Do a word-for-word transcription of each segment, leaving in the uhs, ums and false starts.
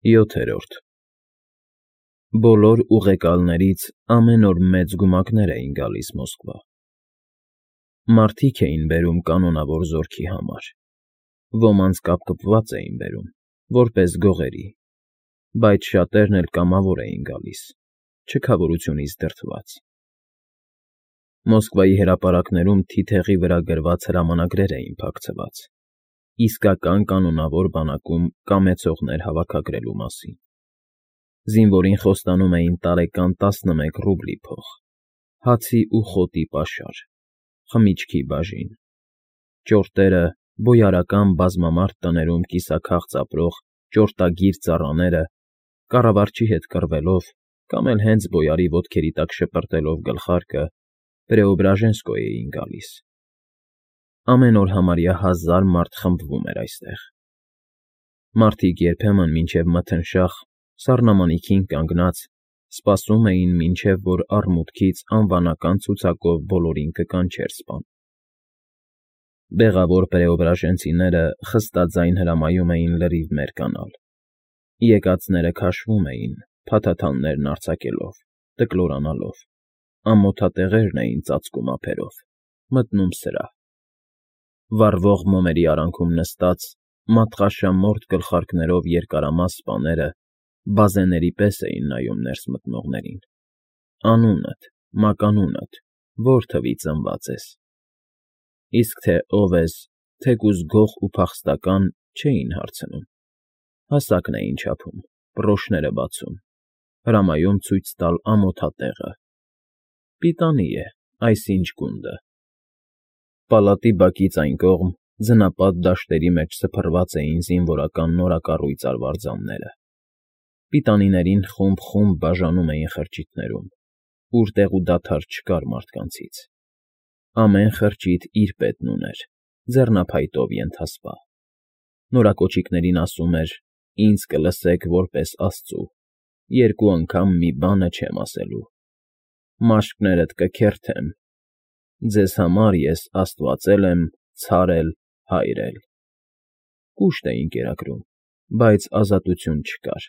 ՅՈԹԵՐՈՐԴ Բոլոր ուղեկալներից ամեն օր մեծ գումակներ էին գալիս Մոսկվա. մարդիկ էին բերում կանոնավոր զորքի համար, ոմանց կապկպված էին բերում, որպես գողերի, բայց շատերն էլ կամավոր էին գալիս, չքավորությունից դրդված։ Մոսկվայի հրապարակներում թիթեղի վրա գրված հրամանագրեր էին փակցված, իսկական կանոնավոր բանակում կամեցողներ հավաքագրելու մասին։ Զինվորին խոստանում էին տարեկան տասնմեկ ռուբլի փող, հացի ու խոտի պաշար, խմիչքի բաժին, ճորտերը, բոյարական բազմամարդ տներում կիսաքաղց ապրող ճորտագիր ծառաները, կառավարչի հետ կռվելով կամ էլ հենց բոյարի ոտքերի տակ շպրտելով գլխարկը, Պրեոբրաժենսկո էին գալիս։ Ամեն օր համարյա հազար մարդ խմբվում էր այստեղ։ Մարդիկ երբեմն մինչև մթնշաղ, սառնամանիքին կանգնած, սպասում էին, մինչև որ առմուտքից անվանական ցուցակով բոլորին կկանչեր սպան։ Բեղավոր պրեոբրաժենցիները խստաձայն հրամայում էին լրիվ մերկանալ։ Եկածները քաշվում էին, փաթաթաններն արձակելով, տկլորանալով, ամոթատեղերն էին ծածկում ափերով, մտնում սրահ։ Վառվող մոմերի արանքում նստած, մատղաշամորթ գլխարկներով երկարամաս սպաները բազեների պես էին նայում ներս մտնողներին։ Անունդ, մականունդ, որ թվի ծնված ես։ Իսկ թե ով ես, թեկուզ գող ու փախստական, չէին հարցնում, հասակն էին չափում, պռոշները բացում, հրամայում ցույց տալ ամոթատեղը։ Պիտանի է, այսինչ գունդը։ Պալատի բակից այն կողմ, ձնապատ դաշտերի մեջ սփռված էին զինվորական նորակառույց արվարձանները։ Պիտանիներին խումբ֊խումբ բաժանում էին խրճիթներում, ուր տեղ ու դադար չկար մարդկանցից։ Ամեն խրճիթ իր պետն ուներ, ձեռնափայտով ենթասպա։ Նորակոչիկներին ասում էր. «Ինձ կլսեք որպես աստծու, երկու անգամ մի բանը չեմ ասելու։ Մաշկներդ կքերթեմ, ձեզ համար ես աստվածել եմ, ցար էլ, հայր էլ»։ Կուշտ էին կերակրում, բայց ազատություն չկար։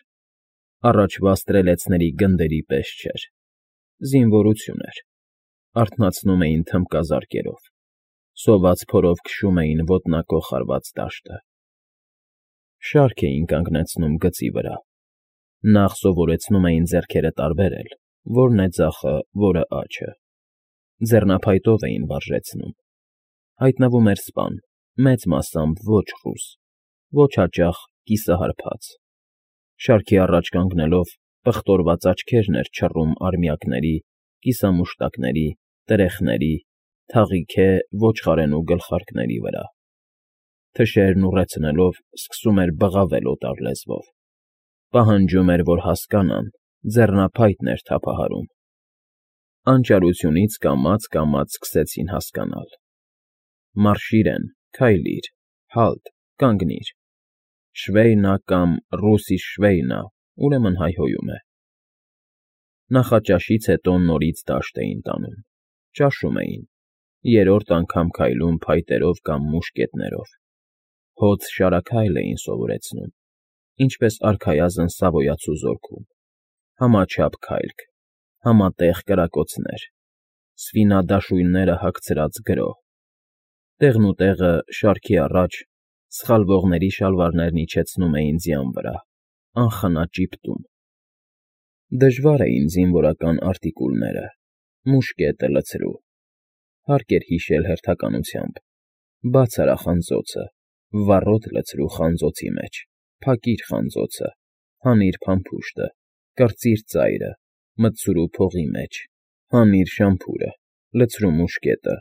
Առաջվա ստրելեցների գնդերի պես չէր։ Զինվորություն էր։ Արթնացնում էին թմբկազարկերով, սոված փորով քշում էին ոտնակոխ հարված դաշտը։ Շարք էին կանգնեցնում գծի վրա։ Նախ սովորեցնում էին ձեռքերը տարբերել, որն է ձախը, որը աջը։ Ձեռնափայտով էին վարժեցնում։ Հայտնվում էր սպան, մեծ մասամբ ոչ ռուս, ոչ հաճախ կիսահարբած։ Շարքի առաջ կանգնելով, պղտորված աչքերն էր չռում արմյակների, կիսամուշտակների, տրեխների, թաղիթե ոչխարենու գլխարկների վրա։ Թշերն ուռեցնելով, սկսում էր բղավել օտար լեզվով։ Պահանջում էր, որ հասկանան, ձեռնափայտն էր թափահարում։ Անճարությունից կամաց֊կամաց սկսեցին հասկանալ։ Մարշիրեն, քայլիր, հալտ, կանգնիր։ Շվեյնա կամ ռուսի շվեյնա, ուրեմն հայհոյում է։ Նախաճաշից հետո նորից դաշտ էին տանում, ճաշում էին, երրորդ անգամ քայլում փայտերով կամ մուշկետներով։ Հոծ֊շարաքայլ էին սովորեցնում, ինչպես արքայազն Սավոյացու զորքում, համաչափ քայլք, համատեղ կրակոցներ, սվինադաշույնները հագցրած գրոհ։ Տեղնուտեղը, շարքի առաջ, սխալվողների շալվարներն իջեցնում էին ձյան վրա, անխնա ճիպտում։ Դժվար էին զինվորական արտիկուլները, մուշկետը լցրու։ Հարկ էր հիշել հերթականությամբ. բաց արա խանձոցը, վառոդ լցրու խանձոցի մեջ, փակիր խանձոցը, հանիր փամփուշտը, կրծիր ծայրը, մտցրու փողի մեջ, հանիր շամփուրը, լցրու մուշկետը,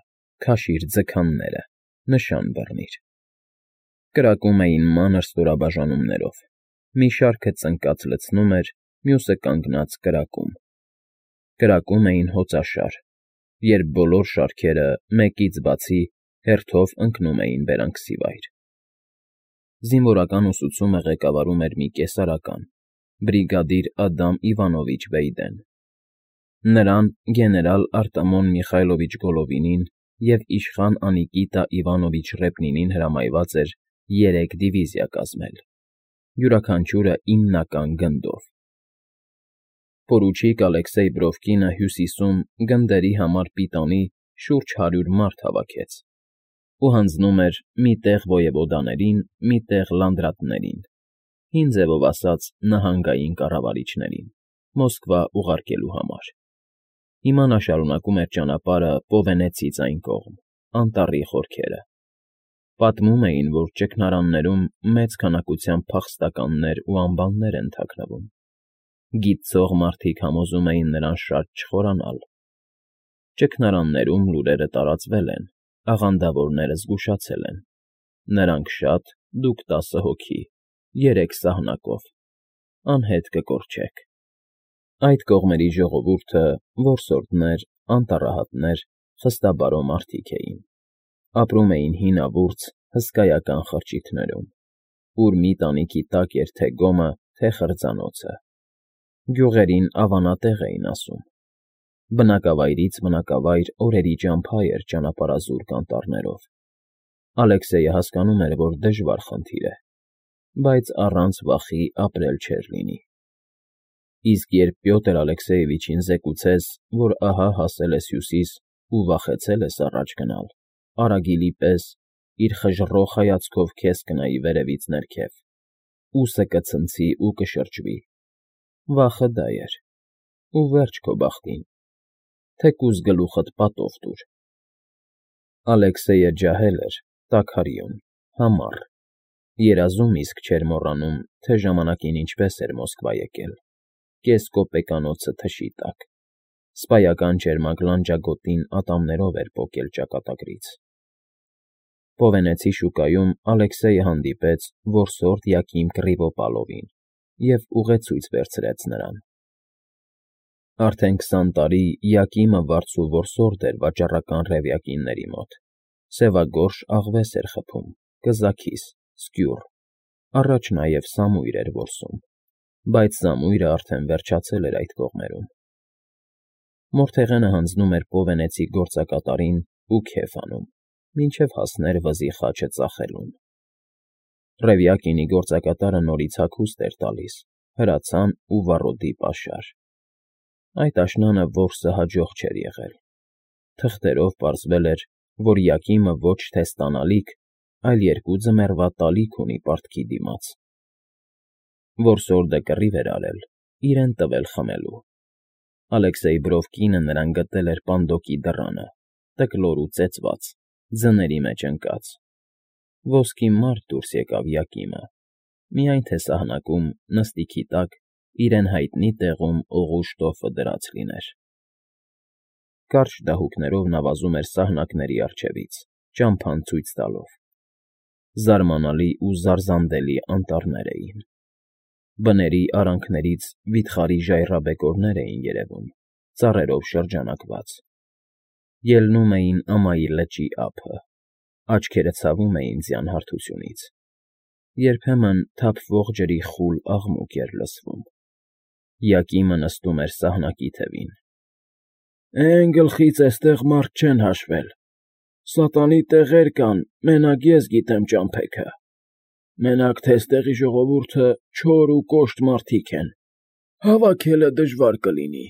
քաշիր ձգանները, նշան բռնիր։ Կրակում էին մանր ստորաբաժանումներով, մի շարքը ծնկած լցնում էր, մյուսը կանգնած կրակում։ Կրակում էին հոծաշար, երբ բոլոր շարքերը, մեկից բացի, հերթով ընկնում էին բերանքսի վայր։ Զինվորական ուսուցումը ղեկավարում էր մի կեսարական, բրիգադիր Ադամ Իվանովիչ Վեյդեն։ Նրան գեներալ Արտամոն Միխայլովիչ Գոլովինին և իշխան Անիկիտա Իվանովիչ Ռեպնինին հրամայված էր երեք դիվիզիա կազմել։ յուրաքանչյուրը իննական գնդով։ Պորուչիկ Ալեքսեյ Բրովկինը Հյուսիսում գնդերի համար պիտանի շուրջ հարյուր մարդ հավաքեց ու հանձնում էր մի տեղ ոյևոդաներին, մի տեղ լանդրատներին, հին ձևով ասած նահանգային կառավարիչներին, Մոսկվա ուղարկելու համար։ Հիմա նա շարունակում էր ճանապարհը Պովենեցից այն կողմ, անտառի խորքերը։ Պատմում էին, որ ճգնարաններում մեծ քանակությամբ փախստականներ ու ամբաններ են թաքնվում։ Գիտծող մարդիկ համոզում էին նրան շատ չխորանալ։ Ճգնարաններում լուրերը տարածվել են, աղանդավորները զգուշացել են. նրանք շատ, դուք տասը հոգի, երեք սահնակով, անհետ կկորչեք։ Այդ կողմերի ժողովուրդը որսորդներ, անտառահատներ, խստաբարո մարդիկ էին։ Ապրում էին հինավուրց, հսկայական խրճիթներում, ուր մի տանիքի տակ էր թե գոմը, թե խրձանոցը։ Գյուղերին ավանատեղ էին ասում։ Բնակավայրից բնակավայր օրերի ճամփա էր ճանապարհազուրկ անտառներով։ Ալեքսեյը հասկանում էր, որ դժվար խնդիր է, բայց առանց վախի ապրել չէր լինի։ Իսկ երբ Պյոտր Ալեքսեյևիչին զեկուցես, որ ահա հասել ես Հյուսիս ու վախեցել ես առաջ գնալ, արագիլի պես իր խժռող հայացքով քեզ կնայի վերևից ներքև, ուսը կցնցի ու կշրջվի, վախը դա էր, ու վերջ քո բախտին, թեկուզ գլուխդ պատով տուր։ Ալեքսեյը ջահել էր, տաքարյուն, համառ, երազում իսկ չէր մոռանում, թե ժամանակին ինչպես էր Մոսկվա եկել, կեսկոպեկանոցը թշի տակ, սպայական ճերմակ լանջագոտին ատամներով էր պոկել ճակատագրից։ Պովենեցի շուկայում Ալեքսեյը հանդիպեց որսորդ Յակիմ Կռիվոպալովին և ուղեցույց վերցրեց նրան։ Արդեն քսան տարի Յակիմը վարձու որսորդ էր վաճառական ռևյակինների մոտ, սևագորշ աղվես էր խփում, կզաքիս, սկյուռ, առաջ նաև սամույր էր որսում, բայց սամույրը արդեն վերջացել էր այդ կողմերում։ Մորթեղենը հանձնում էր Պովենեցի գործակատարին ու քեֆ անում, մինչև հասներ վզի խաչը ծախելուն։ Ռևյակինի գործակատարը նորից հագուստ էր տալիս, հրացան ու վառոդի պաշար։ Այդ աշնանը որսը հաջող չէր եղել։ Թղթերով պարզվել էր, որ Յակիմը ոչ թե ստանալիք, այլ երկու ձմեռվա տալիք ունի պարտքի դիմաց։ Որսորդը կռիվ էր արել, իրեն տվել խմելու։ Ալեքսեյ Բրովկինը նրան գտել էր պանդոկի դռանը, տկլոր ու ծեծված, ձների մեջ ընկած։ Ոսկի մարդ դուրս եկավ Յակիմը, միայն թե սահնակում, նստիքի տակ, իրեն հայտնի տեղում օղու շտոֆը դրած լիներ։ Կարճ դահուկներով նա վազում էր սահնակների առջևից, ճամփան ցույց տալով։ Զարմանալի ու զարզանդելի անտառներ էին։ Բների արանքներից վիթխարի ժայռաբեկորներ էին երևում, ծառերով շրջանակված։ Ելնում էին ամայի լճի ափը, աչքերը ցավում էին ձյան հարթությունից։ Երբեմն թափվող ջրի խուլ աղմուկ էր լսվում։ Յակիմը նստում էր սահնակի թևին։ Էն գլխից էստեղ մարդ չեն հաշվել, սատանի տեղեր կան, մենակ ես գիտեմ ճամփեքը, մենակ թե էստեղի ժողովուրդը չոր ու կոշտ մարդիկ են, հավաքելը դժվար կլինի։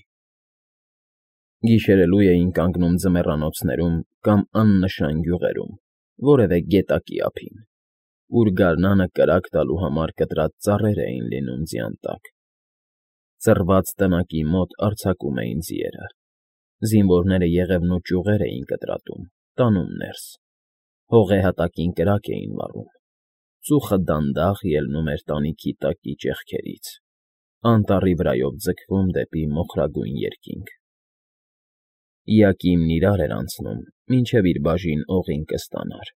Գիշերելու էին կանգնում ձմեռանոցներում կամ աննշան գյուղերում, որևէ գետակի ափին, ուր գարնանը կրակ տալու համար կտրած ծառեր էին լինում ձյան տակ։ Ծռված տնակի մոտ արձակում էին ձիերը։ Զինվորները եղևնու ճյուղեր էին կտրատում, տանում ներս։ Հողե հատակին կրակ էին վառում։ Ծուխը դանդաղ ելնում էր տանիքի տակի ճեղքերից, անտառի վրայով ձգվում դեպի մոխրագույն երկինք։ Յակիմն իրար էր անցնում, մինչև իր բաժին օղին կստանար։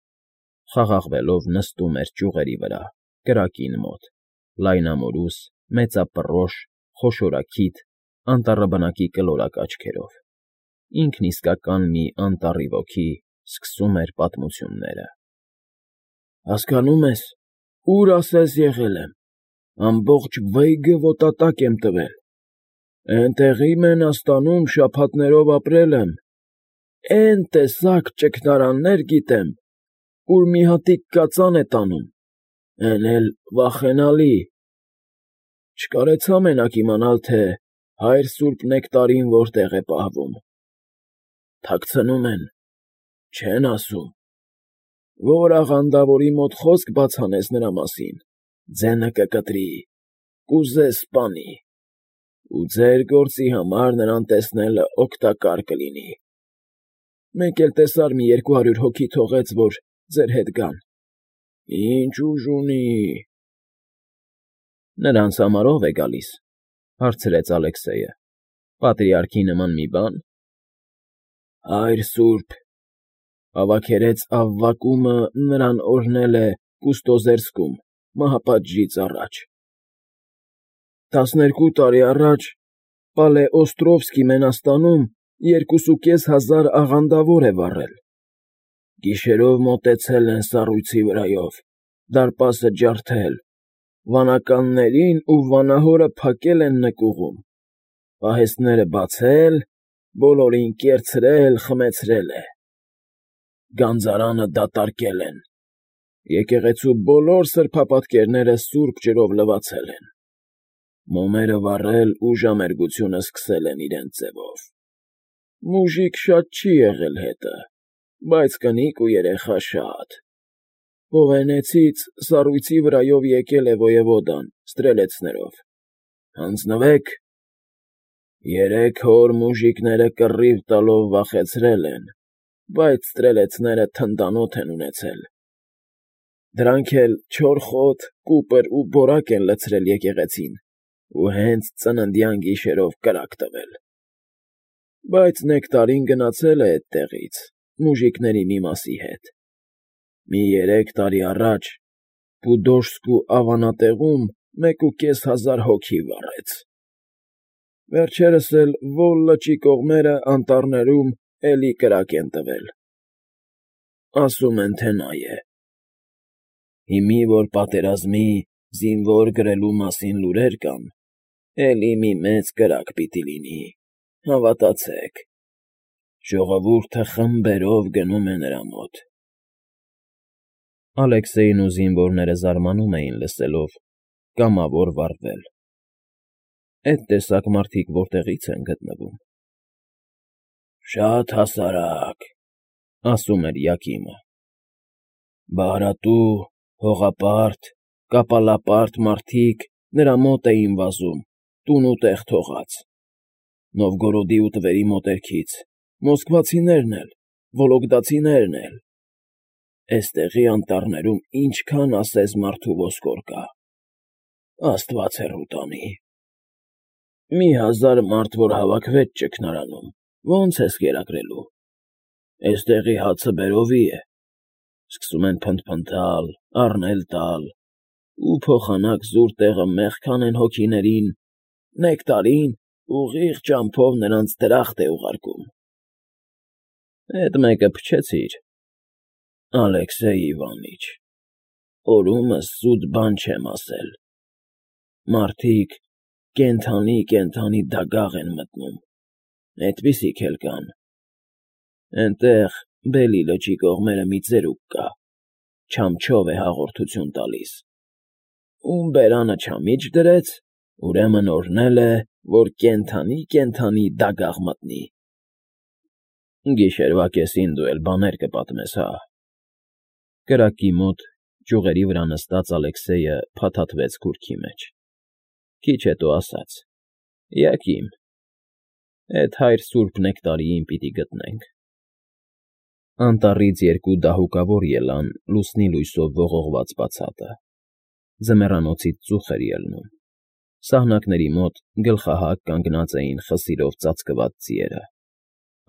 Խաղաղվելով նստում էր ճյուղերի վրա, կրակին մոտ, լայնամորուս, մեծապռոշ, խոշորագիտ, անտառաբնակի կլորակ աչքերով։ Ինքն իսկական մի անտառի ոգի սկսում էր պատմությունները։ Հասկանո՞ւմ ես, ուր ասես եղել եմ, ամբողջ վայգըոտատակ եմ տվել, էնտեղի Մենաստանում շաբաթներով ապրել եմ, էն տեսակ ճգնարաններ գիտեմ, ուր մի հատիկ կածան է տանում, էն էլ վախենալի, Չկարեցա մենակ իմանալ, թե հայր սուրբ Նեկտարին որտեղ է պահվում։ Թաքցնում են, չեն ասում։ Որ աղանդավորի մոտ խոսք բաց անես նրա մասին, ձենը կկտրի, կուզես սպանի, ու ձեր գործի համար նրան տեսնելը օգտակար կլինի։ Մեկ էլ տեսար մի երկու հարյուր հոգի թողեց, որ ձեր հետ գան։ Ինչ ուժ ունի… ֊ Նրանց համար ո՞վ է գալիս,֊ հարցրեց Ալեքսեյը։֊ Պատրիարքի նման մի բա՞ն։ ֊ Հայր սուրբ… Ավագերեց Ավվակումը նրան օրհնել է Կուստոզերսկում մահապատժից առաջ… Տասներկու տարի առաջ Պալեօստրովսկի Մենաստանում երկուսուկես հազար աղանդավոր է վառել… Գիշերով մոտեցել են սառույցի վրայով, դարպասը ջարդել, վանականներին ու վանահորը փակել են նկուղում, պահեստները բացել, բոլորին կերցրել, խմեցրել է… Գանձարանը դատարկել են, եկեղեցու բոլոր սրբապատկերները սուրբ ջրով լվացել են, մոմերը վառել ու ժամերգությունը սկսել են իրենց ձևով… Մուժիկ շատ չի եղել հետը, բայց կնիկ ու երեխա շատ… Հովհաննեսից սառույցի վրայով եկել է ոյևոդան ստրելեցներով… Հանձնվե՛ք… Երեք հոր մուժիկները կռիվ տալով վախեցրել են, բայց ստրելեցները թնդանոթ են ունեցել… Դրանք էլ չորխոտ, կուպր ու բորակ են լցրել եկեղեցին ու հենց ծննդյան գիշերով կրակ տվել… Բայց Նեկտարին գնացել է էդտեղից մուժիկների մի մասի հետ… Մի երեք տարի առաջ Պուդոժսկու ավանատեղում մեկուկես հազար հոգի վառեց… Վերջերս էլ Վոլ լճի կողմերը անտառներում էլի կրակ են տվել… Ասում են, թե նա է… Հիմի, որ պատերազմի, զինվոր գրելու մասին լուրեր կան, էլի մի մեծ կրակ պիտի լինի, հավատացեք… Ժողովուրդը խմբերով գնում է նրա մոտ… Ալեքսեյն ու զինվորները զարմանում էին լսելով. կամավոր վառվել… Էդ տեսակ մարդիկ որտեղի՞ց են գտնվում… ֊ Շատ հասարակ,֊ ասում էր Յակիմը,֊ բահրատու, հողապարտ, կապալապարտ մարդիկ նրա մոտ էին վազում տուն ու տեղ թողած… Նովգորոդի ու Տվերի մոտերքից, մոսկվացիներն էլ, վոլոգդացիներն էլ… Էստեղի անտառներում ինչքան ասես մարդու ոսկոր կա… Աստված հեռու տանի… Մի հազար մարդ որ հավաքվեց ճգնարանում, ո՞նց ես կերակրելու… Էստեղի հացը բերովի է… Սկսում են փնթփնթալ, առնել տալ, ու փոխանակ զուր տեղը մեղք անեն հոգիներին, Նեկտարին ուղիղ ճամփով նրանց դրախտ է ուղարկում… ֊ Էդ մեկը փչեցի՛ր… Ալեքսեյ Իվանիչ, օրումս սուտ բան չեմ ասել… Մարդիկ կենդանի֊կենդանի դագաղ են մտնում, էդպիսիք էլ կան… Էնտեղ, Բելի լճի կողմերը մի ծերուկ կա, չամչով է հաղորդություն տալիս… Ում բերանը չամիչ դրեց, ուրեմն օրհնել է, որ կենդանի֊կենդանի դագաղ մտնի… Գիշերվա կեսին դու էլ բաներ կպատմես, հա… Կրակի մոտ, ճյուղերի վրա նստած Ալեքսեյը փաթաթվեց քուրքի մեջ… Քիչ հետո ասաց. ֊ Յակիմ, էդ հայր սուրբ Նեկտարիին պիտի գտնենք… Անտառից երկու դահուկավոր ելան լուսնի լույսով ողողված բացատը… Ձմեռանոցից ծուխ էր ելնում… Սահնակների մոտ գլխահակ կանգնած էին խսիրով ծածկված ձիերը…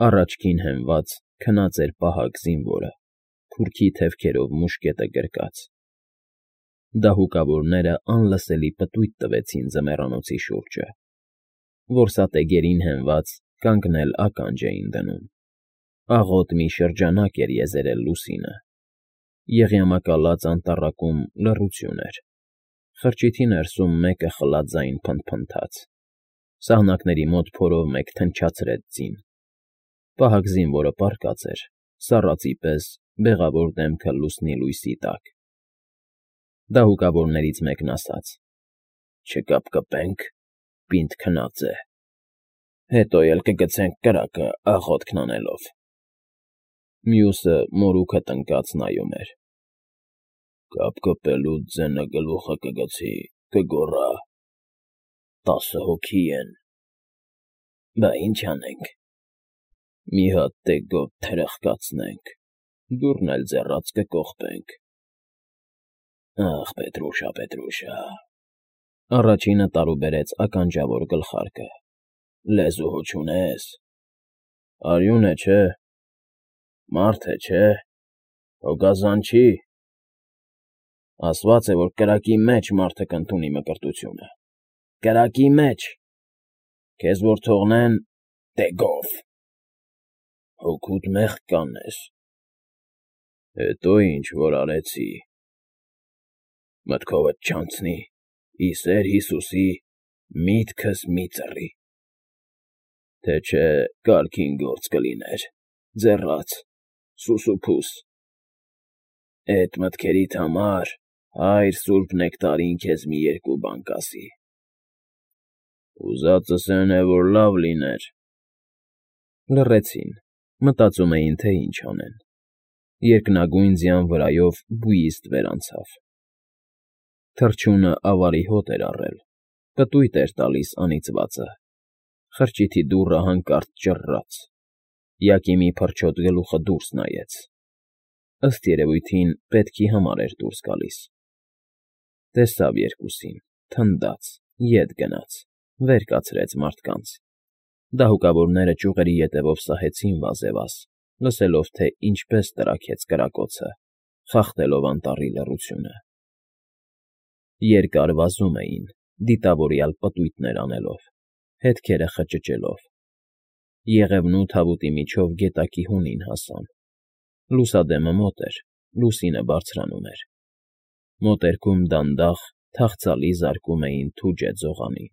Առաջքին հենված քնած էր պահակ զինվորը, քուրքի թևքերով մուշկետը գրկած… Դահուկավորները անլսելի պտույտ տվեցին ձմեռանոցի շուրջը… Որսատեգերին հենված կանգնել ականջ էին դնում… Աղոտ մի շրջանակ էր եզերել լուսինը… Եղյամակալած անտառակում լռություն էր… Խրճիթի ներսում մեկը խլաձայն փնթփնթաց… Սահնակների մոտ փորով մեկ թնչացրեց ձին… Պահակ զինվորը պառկած էր, սառածի պես բեղավոր դեմքը լուսնի լույսի տակ… Դահուկավորներից մեկն ասաց. Չկապկպենք, պինդ քնած է, հետո էլ կգցենք կրակը աղոթքն անելով։ Մյուսը մորուքը տնկած նայում էր։ Կապկպելուց ձենը գլուխը կգցի, կգոռա. «Տասը հոգի են»։ Բա ինչ անենք։ Մի հատ տեգով թրխկացնենք, դուռն էլ ձեռած կկողպենք։ Ախ, Պետրուշա, Պետրուշա… Առաջինը տարուբերեց ականջավոր գլխարկը։ Լեզու հո չունես։ Արյուն է, չէ։ Մարդ է, չէ։ Հո գազան չի։ Ասված է, որ կրակի մեջ մարդը կընդունի մկրտությունը։ Կրակի մեջ։ Քեզ որ թողնեն տեգով։ Հոգուդ մեղք կանես։ Հետո ինչ որ արեցի։ Մտքովդ չանցնի, ի սեր Հիսուսի, միտքս մի ծռի։ Թե չէ կարգին գործ կլիներ, ձեռաց, սուսուփուս։ Էդ մտքերիդ համար Հայր Սուրբ Նեկտարին քեզ մի երկու բան կասի։ Ուզածս էն է, որ լավ լիներ։ Լռեցին, մտածում էին, թե ինչ անեն։ Երկնագույն ձյան վրայով բույիստ վերանցավ։ Թռչյունը ավարի հոտ էր առել, պտույտ էր տալիս անիծվածը։ Խրճիթի դուռը հանկարծ ճռռաց։ Յակիմի փրչոտ գլուխը դուրս նայեց։ Ըստ երևույթին պետքի համար էր դուրս գալիս։ Տեսավ երկուսին, թնդաց, ետ գնաց, վեր կացրեց մարդկանց։ Դահուկավորները ճյուղերի ետևով սահեցին վազևազ, լսելով, թե ինչպես տրաքեց կրակոցը, խախտելով անտառի լռությունը։ Երկար վազում էին, դիտավորյալ պտույտներ անելով, հետքերը խճճելով։ Եղևնու թավուտի միջով գետակի հունին հասան։ Լուսադեմը մոտ էր, լուսինը բարձրանում էր։ Մոտերքում դանդաղ, թախծալի զարկում էին թուջե ձողանին։